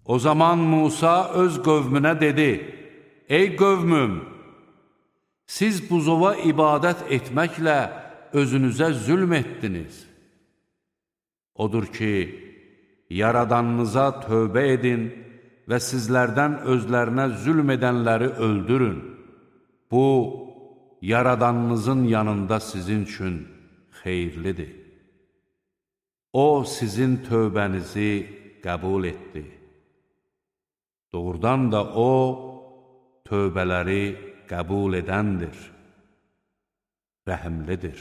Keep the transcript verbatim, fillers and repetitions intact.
O zaman Musa öz qövmünə dedi: Ey qövmüm, siz buzova ibadət etməklə özünüzə zülm etdiniz. Odur ki, Yaradanınıza tövbə edin və sizlərdən özlərinə zülm edənləri öldürün. Bu, Yaradanınızın yanında sizin üçün xeyirlidir. O, sizin tövbənizi qəbul etdi. Doğrudan da O, tövbələri qəbul edəndir, rəhimlidir.